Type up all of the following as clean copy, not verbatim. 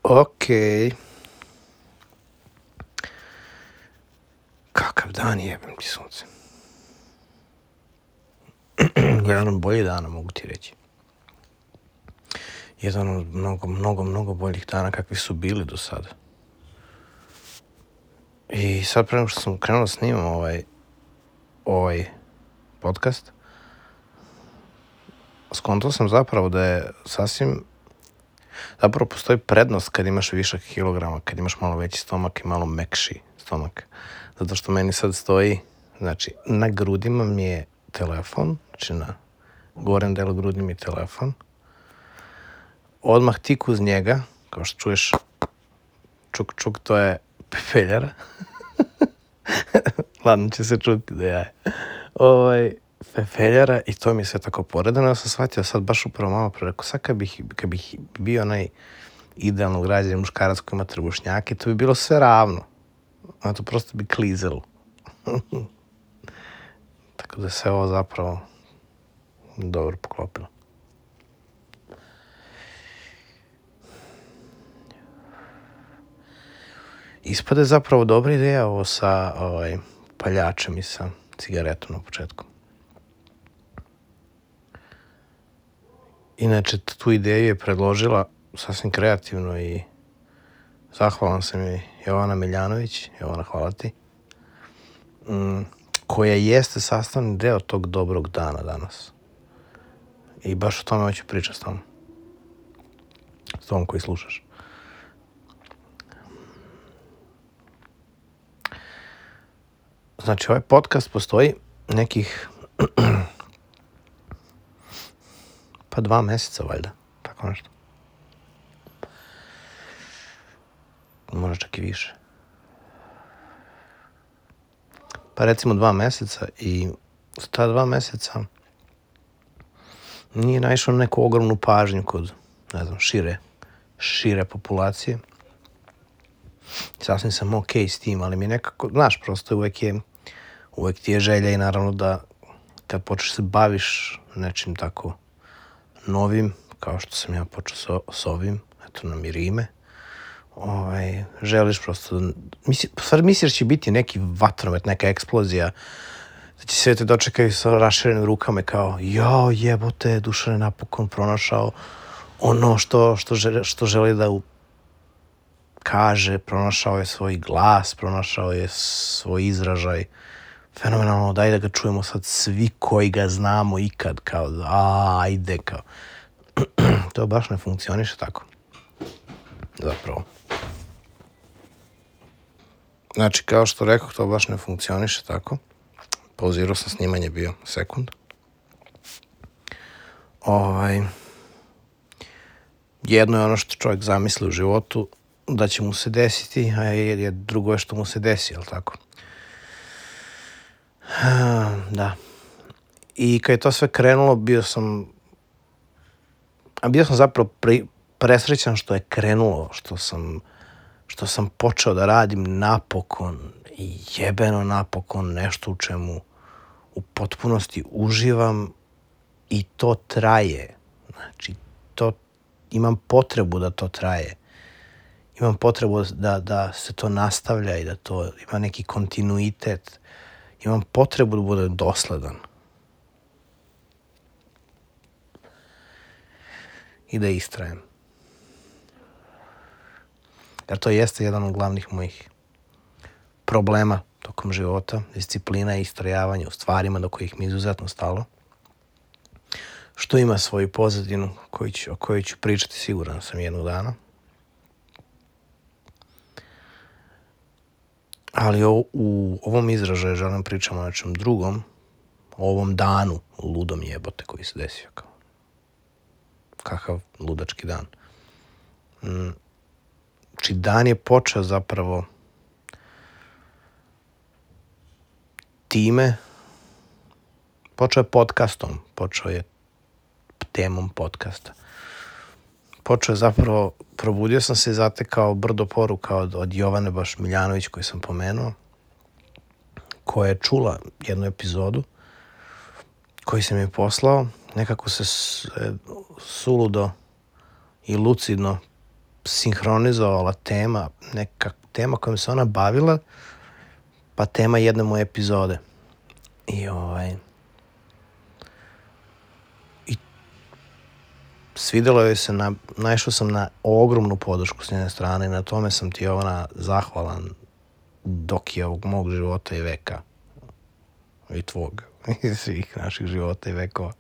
Okej. Kakav dan jebem ti sunce. Jedan od boljih dana, mogu ti reći. Jedan od mnogo boljih dana kakvi su bili do sada. I sad prema što sam krenuo snimam ovaj podcast, skontao sam zapravo da je zapravo postoji prednost kad imaš višak kilograma, kad imaš malo veći stomak i malo mekši stomak. Zato što meni sad stoji, znači, na grudima mi je telefon, znači na gornjem delu grudi mi je telefon. Odmah tik uz njega, kao što čuješ, čuk, to je pepeljara. Ladno će se čuti da je. Pepeljara i to mi je sve tako poredano. Ja sam shvatio sad baš upravo malo rekao, sad kad bih bio onaj idealno ugrađen muškarac koji ima trbušnjake, to bi bilo sve ravno. A to prosto bi klizelo. Tako da se ovo zapravo dobro poklopilo. Ispade zapravo dobra ideja ovo sa paljačem i sa cigaretom na početku. Inače, tu ideju je predložila sasvim kreativno i zahvalan sam joj Jovana Miljanović. Jovana, hvala ti. Koja jeste sastavni deo tog dobrog dana danas. I baš o tome hoću pričati s tom. S tom koji slušaš. Znači, ovaj podcast postoji nekih pa 2 meseca, valjda. Tako nešto. Možda čak i više. Pa recimo 2 meseca i za ta 2 meseca nije naišao na neku ogromnu pažnju kod, ne znam, šire populacije. Sasvim sam okej s tim, ali mi nekako, znaš, prosto uvek ti je želja i naravno da kad počneš se baviš nečim tako novim, kao što sam ja počeo s ovim, eto nam i rime, želiš prosto, misliš da će biti neki vatromet, neka eksplozija, da će sve te dočekaju sa raširenim rukama kao, jao jebote, Dušan je napokon pronašao ono što želi da kaže, pronašao je svoj glas, pronašao je svoj izražaj. Fenomenalno, daj da ga čujemo sad svi koji ga znamo ikad, kao, ajde, kao. To baš ne funkcioniše tako. Zapravo. Znači, kao što rekao, to baš ne funkcioniše tako. Pauzirao sam snimanje, bio sekund. Jedno je ono što čovjek zamisli u životu, da će mu se desiti, a drugo je što mu se desi, jel tako? Da. I kad je to sve krenulo, bio sam zapravo presrećan što je krenulo, što sam počeo da radim napokon i jebeno napokon nešto u čemu u potpunosti uživam i to traje. Znači, imam potrebu da to traje. Imam potrebu da se to nastavlja i da to ima neki kontinuitet. Imam potrebu da budem dosledan. I da istrajem. Jer to jeste jedan od glavnih mojih problema tokom života. Disciplina i istrajavanje u stvarima do kojih mi izuzetno stalo. Što ima svoju pozadinu o kojoj ću pričati siguran sam jednog dana. Ali u ovom izražaju želim pričamo o nečem drugom, o ovom danu ludom jebote koji se desio. Kakav ludački dan. Znači, dan je počeo zapravo time, počeo je podcastom, počeo je temom podcasta. Počeo je zapravo, probudio sam se i zatekao brdo poruka od Jovane baš Miljanović koju sam pomenuo, koja je čula jednu epizodu koju sam je poslao, nekako se suludo i lucidno sinhronizovala tema, neka tema kojom se ona bavila, pa tema jedne moje epizode. I svidelo joj se, naišao sam na ogromnu podršku s njene strane i na tome sam ti, Jovana, zahvalan dok je ovog mog života i veka. I tvog. I svih naših života i vekova.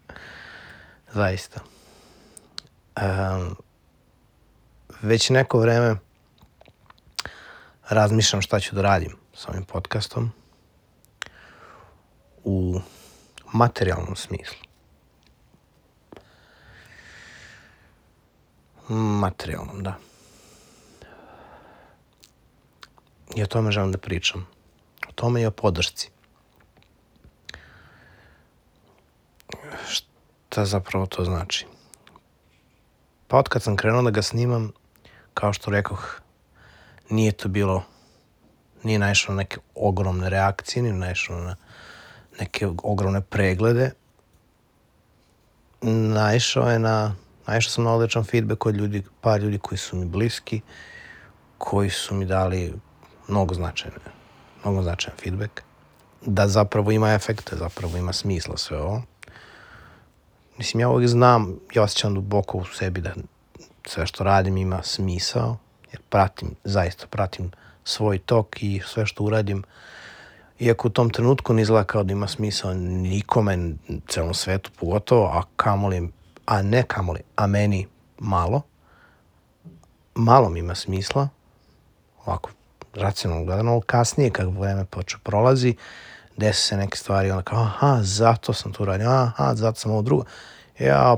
Zaista. Već neko vreme razmišljam šta ću da radim s ovim podcastom u materijalnom smislu. Materijalnom, da. I o tome želim da pričam. O tome i o podršci. Šta zapravo to znači? Pa od kad sam krenuo da ga snimam, kao što rekoh, nije naišao na neke ogromne reakcije, nije naišao na neke ogromne preglede. Naišao sam na odličan feedback od par ljudi koji su mi bliski, koji su mi dali mnogo značajan feedback. Da zapravo ima efekta, zapravo ima smisla sve ovo. Mislim, ja uvijek znam, ja osjećam duboko u sebi da sve što radim ima smisao, jer zaista pratim svoj tok i sve što uradim. Iako u tom trenutku ne izgleda kao da ima smisao nikome, celom svetu pogotovo, a meni malo mi ima smisla, ovako racionalno gledano, kasnije kako vreme prolazi, desi se neke stvari, onda kao, zato sam to uradio, zato sam ovo drugo.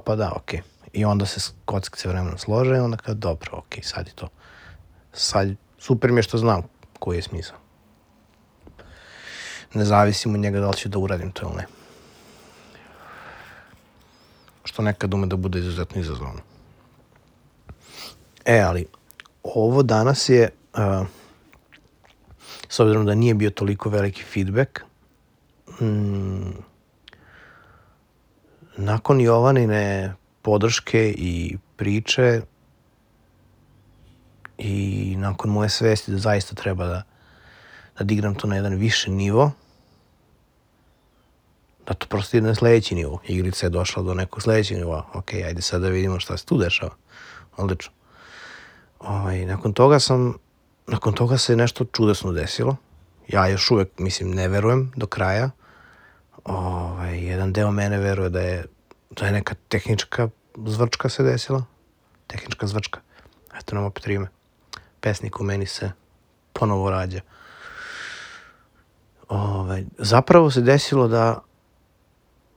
Pa da, okej. I onda se kockice vremenom slože i onda kao, dobro, okej, sad je to. Sad, super mi je što znam koji je smisao. Ne zavisim od njega da li ću da uradim to ili ne. Što nekad ume da bude izuzetno izazovno. Ali ovo danas je, s obzirom da nije bio toliko veliki feedback, nakon Jovanine podrške i priče i nakon moje svesti da zaista treba da digram to na jedan viši nivo, da to prosto ide na sledeći nivo. Igrica je došla do nekog sledećeg nivoa. Okej, ajde sad da vidimo šta se tu dešava. Odlično. Nakon toga se nešto čudesno desilo. Ja još uvek, ne verujem do kraja. Jedan deo mene veruje da je neka tehnička zvrčka se desila. Tehnička zvrčka. Eto nam opet rime. Pesnik u meni se ponovo rađa. Zapravo se desilo da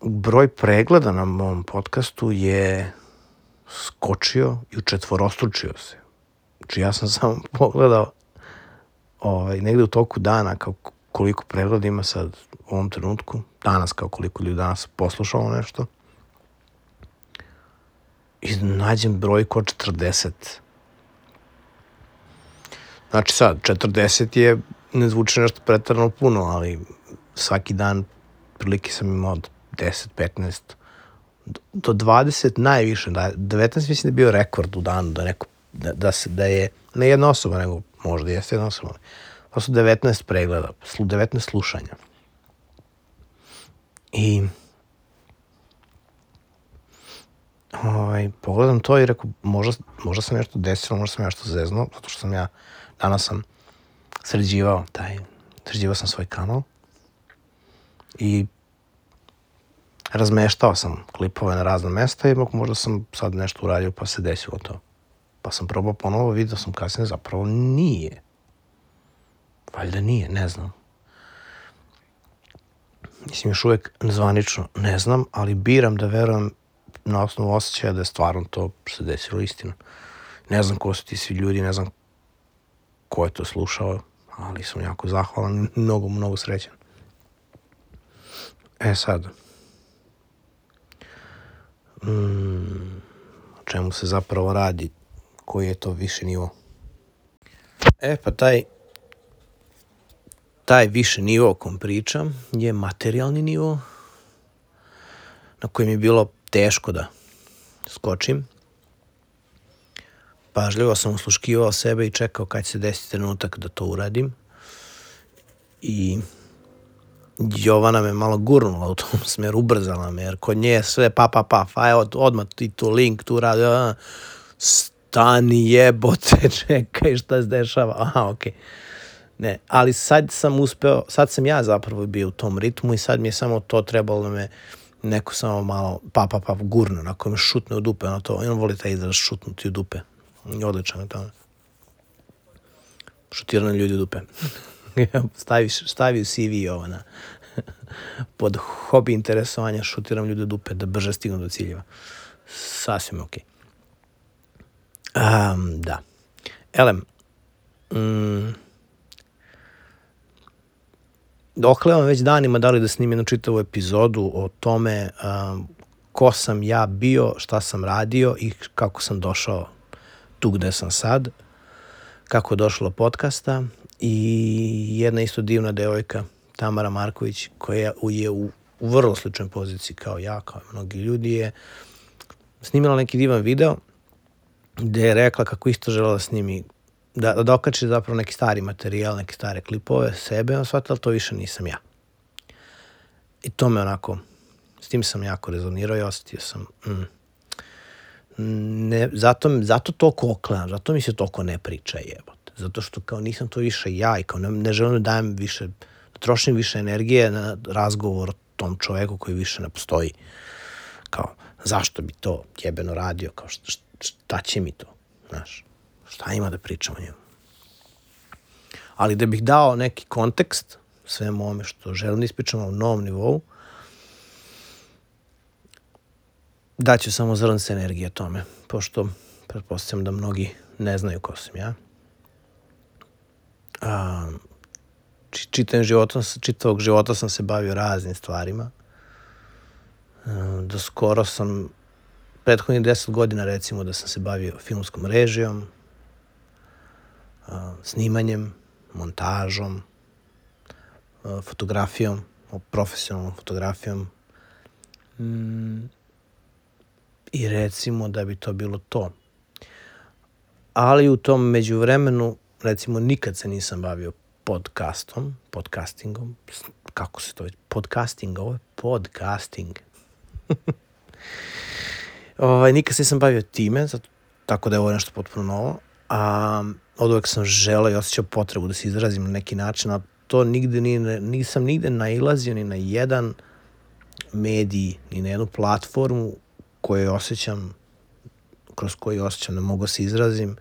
broj pregleda na mom podcastu je skočio i učetvorostručio se. Znači ja sam samo pogledao negde u toku dana koliko pregleda ima sad u ovom trenutku. Danas kao koliko ljudi danas poslušalo nešto. I nađem brojku od 40. Znači sad, 40 ne zvuči nešto pretarano puno, ali svaki dan prilike sam imao od 10, 15, do 20 najviše. 19 mislim da je bio rekord u danu, da je ne jedna osoba, nego možda jeste jedna osoba. To su 19 pregleda, 19 slušanja. I pogledam to i rekao, možda se nešto desilo, možda sam nešto zeznuo, zato što danas sam sređivao sam svoj kanal i razmeštao sam klipove na razna mesta i možda sam sad nešto uradio pa se desilo to. Pa sam probao ponovo, vidio sam kasnije, zapravo nije. Valjda nije, ne znam. Mislim, još uvek zvanično ne znam, ali biram da verujem na osnovu osjećaja da je stvarno to se desilo istina. Ne znam ko su ti svi ljudi, ne znam ko je to slušao, ali sam jako zahvalan i mnogo, mnogo srećan. Sad, o čemu se zapravo radi, koji je to viši nivo? Pa taj viši nivo o kom pričam je materijalni nivo na kojem je bilo teško da skočim. pažljivo sam usluškivao sebe i čekao kad će se desiti trenutak da to uradim. I Jovana me malo gurnula u tom smeru, ubrzala me, jer kod nje je sve pa, evo odmah ti tu link, tu radi, stani jebote, čekaj šta se dešava, aha, okej. Ne, ali sad sam ja zapravo bio u tom ritmu i sad mi je samo to trebalo da me neko samo malo pa gurne, onako me šutne u dupe, ono to, on voli taj izraz šutnuti u dupe, odličan je to. Šutirane ljudi u dupe. Stavi u CV Jovana. Pod hobi interesovanja šutiram ljudi u dupe da brže stignu do ciljeva. Sasvim okej. Da. Elem, oklevam već danima da li da snimim jednu čitavu epizodu o tome ko sam ja bio, šta sam radio i kako sam došao tu gde sam sad, kako je došlo do podcasta. I jedna isto divna devojka, Tamara Marković, koja je u vrlo sličnoj poziciji kao ja, kao mnogi ljudi, je snimila neki divan video gde je rekla kako isto žela da snimi, da dokači zapravo neki stari materijal, neke stare klipove sebe, on shvatila to više nisam ja. I to me onako, s tim sam jako rezonirao i osetio sam, zato toliko oklevam, zato mi se toliko ne priča jebote. Zato što kao nisam to više ja i kao ne želim da dajem više, da trošim više energije na razgovor o tom čoveku koji više ne postoji. Kao, zašto bi to jebeno radio, kao šta će mi to, znaš, šta ima da pričam o njemu. Ali da bih dao neki kontekst svemu ovome što želim da ispričam na novom nivou, daću samo zrnce energije tome, pošto pretpostavljam da mnogi ne znaju ko sam ja. Čitavog života sam se bavio raznim stvarima. Do skoro sam, prethodnih 10 godina recimo da sam se bavio filmskom režijom, snimanjem, montažom, fotografijom, profesionalnom fotografijom. I recimo da bi to bilo to. Ali u tom međuvremenu recimo nikad se nisam bavio podcastingom, kako se to već, podcasting. Nikad se nisam bavio time, tako da je ovo nešto potpuno novo. Od uvek sam želeo i osjećao potrebu da se izrazim na neki način, a to nisam nigde nailazio ni na jedan medij, ni na jednu platformu kroz koju osjećam da mogu se izrazim,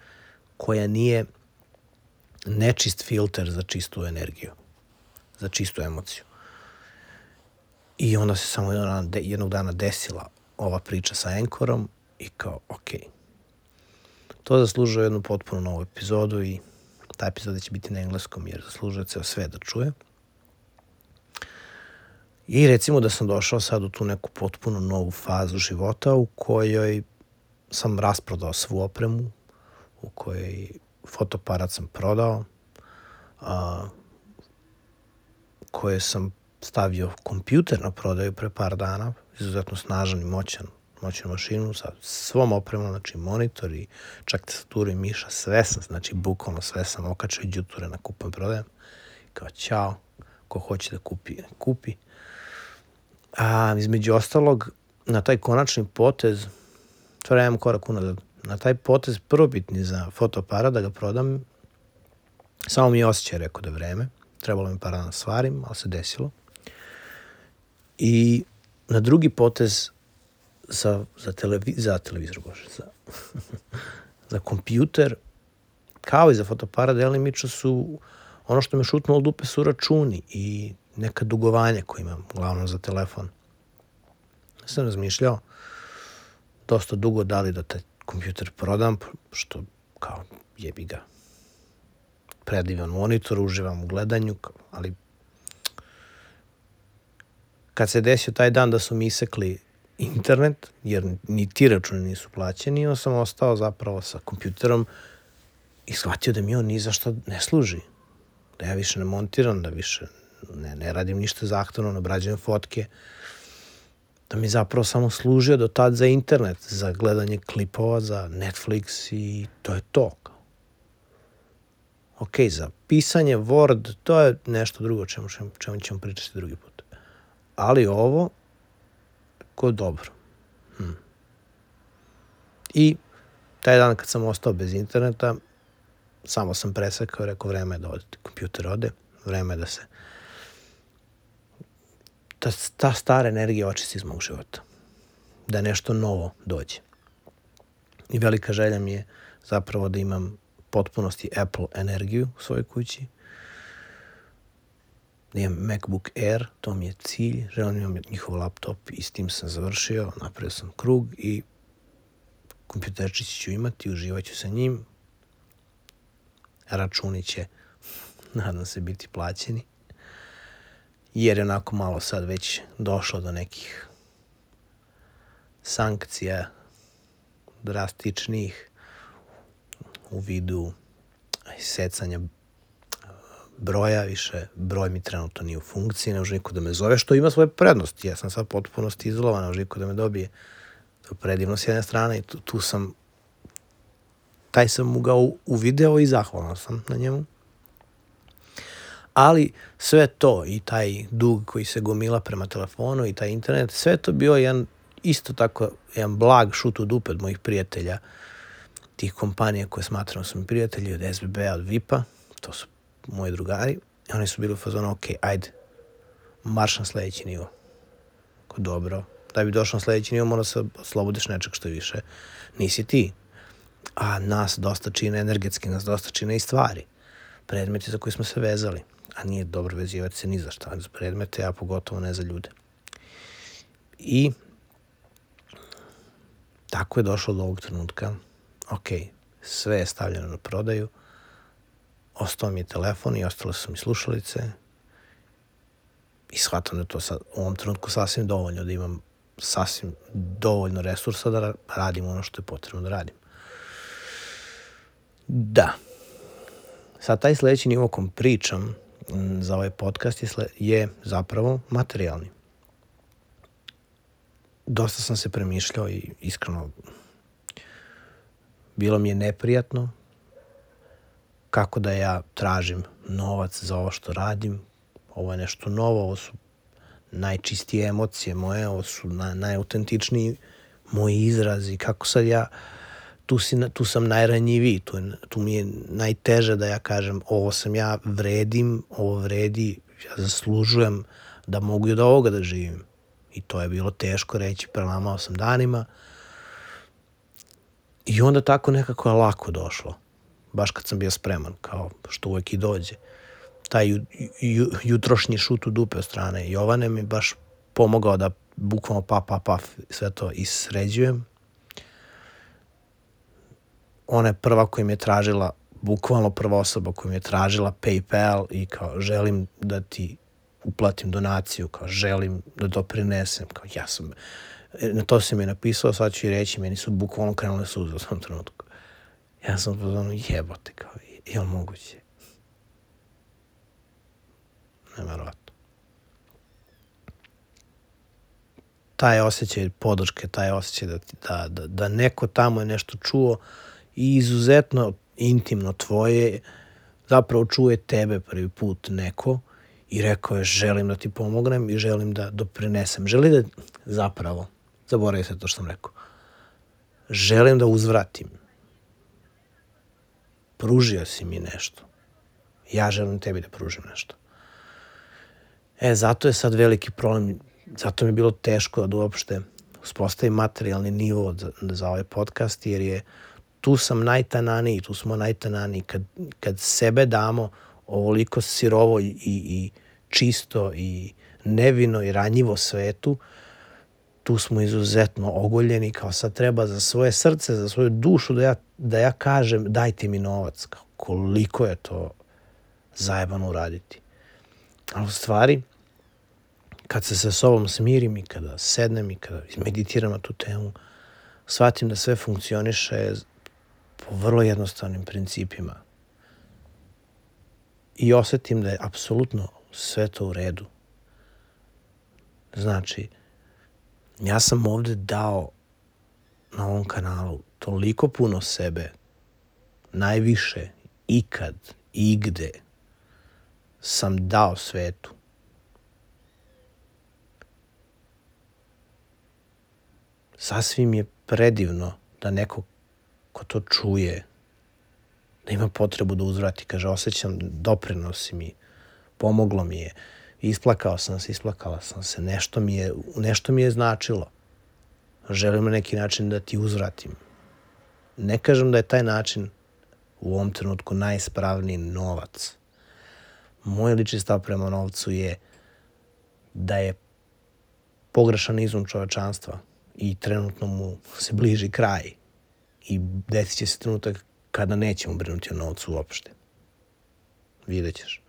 koja nije nečist filter za čistu energiju, za čistu emociju. I onda se samo jednog dana desila ova priča sa Anchorom i kao, okej. To zaslužuje jednu potpuno novu epizodu i ta epizoda će biti na engleskom jer zaslužuje ceo sve da čuje. I recimo da sam došao sad u tu neku potpuno novu fazu života u kojoj sam rasprodao svu opremu, u kojoj fotoaparat sam prodao, koje sam stavio kompjuter na prodaju pre par dana, izuzetno snažan i moćnu mašinu sa svom opremom, znači monitor i čak tastaturu i miša, sve sam, znači bukvalno sve sam okačio i đuture na kupujem prodajem. Kao ćao, ko hoće da kupi. Između ostalog, na taj konačni potez, stvarno imam korak unazad, na taj potez prvobitni za fotoaparat da ga prodam, samo mi je osjećaj rekao da je vreme, trebalo mi par dana stvarim, ali se desilo. I na drugi potez za kompjuter, kao i za fotoaparat, delimično su, ono što me šutnulo u dupe su računi i neka dugovanja koje imam, uglavnom za telefon. Ja sam razmišljao dosta dugo da li da taj kompjuter prodam, što kao jebi ga. Predivan monitor, uživam u gledanju, ali kad se desio taj dan da su mi isekli internet, jer ni ti računi nisu plaćeni, on sam ostao zapravo sa kompjuterom i shvatio da mi on ni za što ne služi. Da ja više ne montiram, da više ne radim ništa zahtevno, ne obrađujem fotke. Da mi zapravo samo služio do tad za internet, za gledanje klipova, za Netflix i to je to. Ok, za pisanje Word, to je nešto drugo čemu ćemo pričati drugi put. Ali ovo, ko dobro. I taj dan kad sam ostao bez interneta, samo sam presekao i rekao vreme je da kompjuter ode, vreme je da se ta stara energija očisti iz mog života. Da nešto novo dođe. I velika želja mi je zapravo da imam potpunosti Apple energiju u svojoj kući. Da imam MacBook Air, to mi je cilj. Želim da imam njihov laptop i s tim sam završio. Napravio sam krug i kompjuterčić ću imati, uživat ću sa njim. Računi će, nadam se, biti plaćeni. Jer je onako malo sad već došlo do nekih sankcija drastičnih u vidu secanja broja, više broj mi trenutno nije u funkciji, ne može niko da me zove, što ima svoje prednosti. Ja sam sad potpunosti izolovan, ne može niko da me dobije. To je predivno s jedne strane i tu sam, taj sam mu ga uvideo i zahvalan sam na njemu. Ali sve to i taj dug koji se gomila prema telefonu i taj internet, sve to bio isto tako jedan blag šut u dupe od mojih prijatelja, tih kompanija koje smatram su mi prijatelji, od SBB-a, od VIP-a, to su moji drugari. I oni su bili u fazonu, ok, ajde, marš na sledeći nivo. Dobro, da bi došao na sledeći nivo mora se oslobodiš nečeg što više nisi ti. A nas dosta čine energetski, nas dosta čine i stvari. Predmeti za koje smo se vezali. A nije dobro vezivati se ni za šta, za predmete, a pogotovo ne za ljude. I tako je došlo do ovog trenutka. Ok, sve je stavljeno na prodaju. Ostao mi je telefon i ostale su mi slušalice. I shvatam da je to sad, u ovom trenutku sasvim dovoljno, da imam sasvim dovoljno resursa da radim ono što je potrebno da radim. Da. Sad taj sledeći nivo kom pričam za ovaj podcast je zapravo materijalni. Dosta sam se premišljao i iskreno bilo mi je neprijatno kako da ja tražim novac za ovo što radim. Ovo je nešto novo, ovo su najčistije emocije moje, ovo su najautentičniji moji izrazi. Kako sad ja, tu sam najranjiviji, tu mi je najteže da ja kažem ovo sam ja, vredim, ovo vredi, ja zaslužujem da mogu i od ovoga da živim. I to je bilo teško reći, prelamao sam danima. I onda tako nekako je lako došlo. Baš kad sam bio spreman, kao što uvek i dođe. Taj jutrošnji šut u dupe od strane Jovane mi baš pomogao da bukvalno paf, sve to isređujem. Ona je prva koja mi je tražila, bukvalno prva osoba koja mi je tražila PayPal i kao želim da ti uplatim donaciju, kao želim da doprinesem, kao ja sam, na to sam je napisao, sad ću i reći, meni su bukvalno krenule suze u tom trenutku. Ja sam pozvano jebote, kao, je li moguće? Neverovatno. Taj osjećaj podrške, taj osjećaj da neko tamo je nešto čuo i izuzetno intimno tvoje, zapravo čuje tebe prvi put neko i rekao je želim da ti pomognem i želim da doprinesem. Želim da, zapravo, zaboravim se to što sam rekao, želim da uzvratim. Pružio si mi nešto. Ja želim tebi da pružim nešto. Zato je sad veliki problem, zato mi je bilo teško da uopšte uspostavim materijalni nivo za ovaj podcast, jer je tu sam najtananiji, tu smo najtananiji. Kad sebe damo ovoliko sirovo i čisto i nevino i ranjivo svetu, tu smo izuzetno ogoljeni, kao sad treba za svoje srce, za svoju dušu da ja kažem dajte mi novac. Kao, koliko je to zajebano uraditi. Ali u stvari, kad se sa sobom smirim i kada sednem i kada meditiram na tu temu, shvatim da sve funkcioniše po vrlo jednostavnim principima. I osetim da je apsolutno sve to u redu. Znači, Ja sam ovde dao na ovom kanalu toliko puno sebe, najviše, ikad, igde sam dao svetu. Sasvim je predivno da neko ko to čuje, da ima potrebu da uzvrati, kaže, osjećam, doprinosi mi, pomoglo mi je, isplakala sam se, nešto mi je značilo. Želim na neki način da ti uzvratim. Ne kažem da je taj način u ovom trenutku najispravniji novac. Moj lični stav prema novcu je da je pogrešan izum čovečanstva i trenutno mu se bliži kraj i desit će se trenutak kada nećemo brinuti o novcu uopšte. Vidjet ćeš.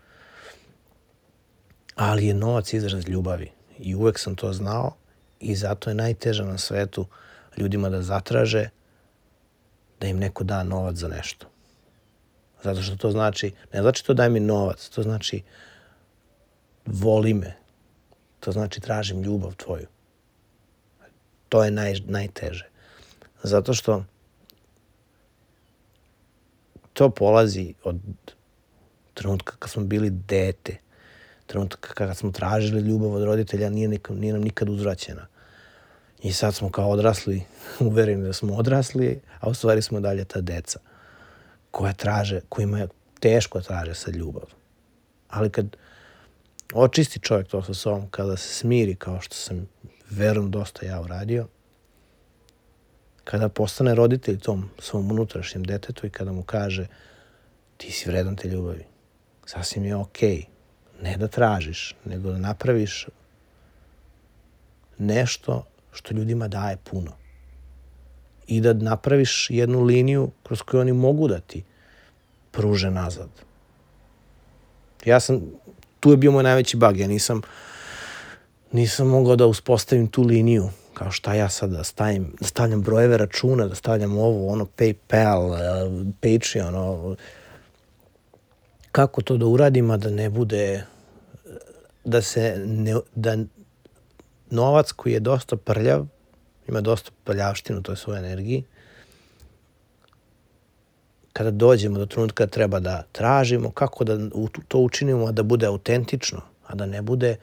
Ali je novac izraz ljubavi i uvek sam to znao i zato je najteže na svetu ljudima da zatraže da im neko da novac za nešto. Zato što to znači, ne znači to daj mi novac, to znači voli me, to znači tražim ljubav tvoju. To je najteže. Zato što to polazi od trenutka kad smo bili dete, trenutka kad smo tražili ljubav od roditelja, nije nam nikad uzvraćena. I sad smo kao odrasli, uvereni da smo odrasli, a u stvari smo dalje ta deca kojima je teško traže sad ljubav. Ali kad očisti čovjek to sa sobom, kada se smiri, kao što sam verujem dosta ja uradio, kada postane roditelj tom svom unutrašnjem detetu i kada mu kaže ti si vredan te ljubavi, sasvim je okej. Ne da tražiš, nego da napraviš nešto što ljudima daje puno. I da napraviš jednu liniju kroz koju oni mogu da ti pruže nazad. Tu je bio moj najveći bug. Ja nisam mogao da uspostavim tu liniju. Kao šta ja sad da stavljam brojeve računa, da stavljam ovo, ono, PayPal, Patreon, kako to da uradim, a da ne bude, da novac koji je dosta prljav, ima dosta prljavštinu u toj svojoj energiji, kada dođemo do trenutka da treba da tražimo, kako da to učinimo, da bude autentično, a da ne bude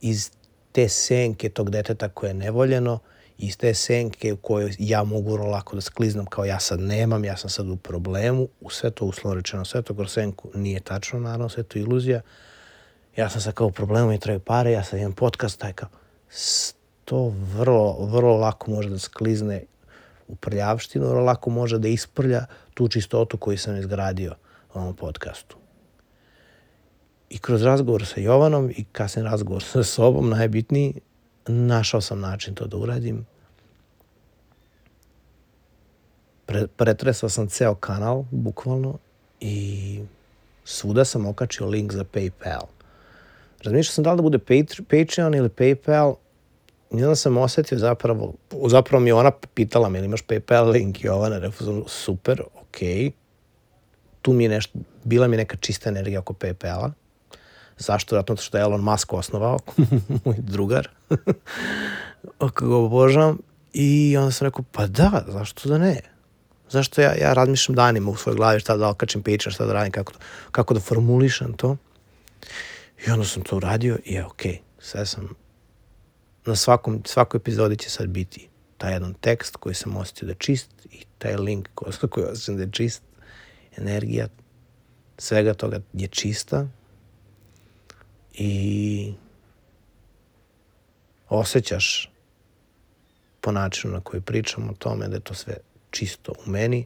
iz te senke tog deteta koje je nevoljeno, iz te senke u kojoj ja mogu vrlo lako da skliznem kao ja sad nemam, ja sam sad u problemu, u sve to uslovno rečeno, sve to kroz senku nije tačno, naravno, sve to iluzija. Ja sam sad kao u problemu i trebaju pare, ja sad imam podcast, taj kao, to vrlo lako može da sklizne u prljavštinu, vrlo lako može da isprlja tu čistotu koju sam izgradio u ovom podcastu. I kroz razgovor sa Jovanom i kasnije razgovor sa sobom, najbitniji, našao sam način to da uradim. Pretresao sam ceo kanal, bukvalno, i svuda sam okačio link za PayPal. Razmišljao sam da li da bude Patreon ili PayPal, i onda sam osetio zapravo mi je ona pitala me, ili imaš PayPal link, Jovana, rekao super, okej. Tu mi je nešto, bila mi neka čista energija oko PayPala. Zašto? Zato što je Elon Musk osnovao, moj drugar, kako ga obožavam. I onda sam rekao, pa da, zašto da ne? Zašto ja razmišljam danima u svojoj glavi šta da okačim Patreon, šta da radim, kako da formulišem to. I onda sam to uradio i okej. Sve sam, na svakoj epizodi će sad biti taj jedan tekst koji sam osjetio da je čist i taj link koji osjećam da je čist. Energija svega toga je čista i osjećaš po načinu na koji pričam o tome da je to sve čisto u meni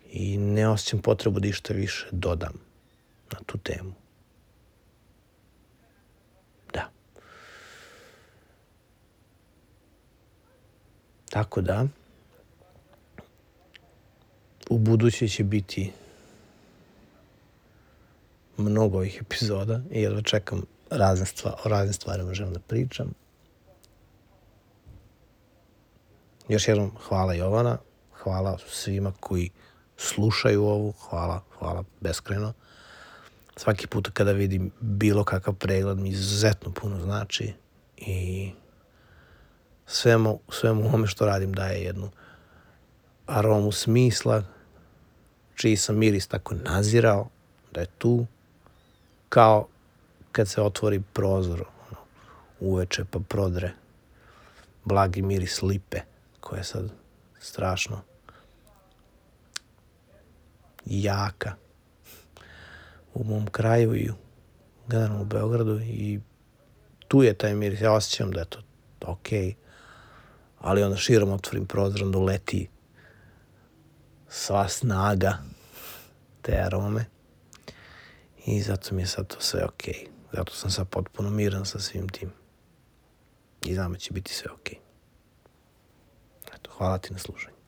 i ne osjećam potrebu da išta više dodam na tu temu. Da. Tako da, u buduće će biti mnogo ovih epizoda i jedva čekam o raznim stvarima želim da pričam. Još jednom hvala Jovana, hvala svima koji slušaju ovu, hvala beskrajno. Svaki put kada vidim bilo kakav pregled mi izuzetno puno znači i svemu ovome što radim daje jednu aromu smisla, čiji sam miris tako nazirao, da je tu, kao kad se otvori prozor uveče pa prodre blagi miris lipe, koja je sad strašno jaka u mom kraju i generalno u Beogradu, i tu je taj miris. Ja osjećam da je to okej, ali onda širom otvorim prozor, onda uleti sva snaga te arome i zato mi je sad to sve okej. Zato sam sad potpuno miran sa svim tim i znam da će biti sve okej. Eto, hvala ti na slušanju.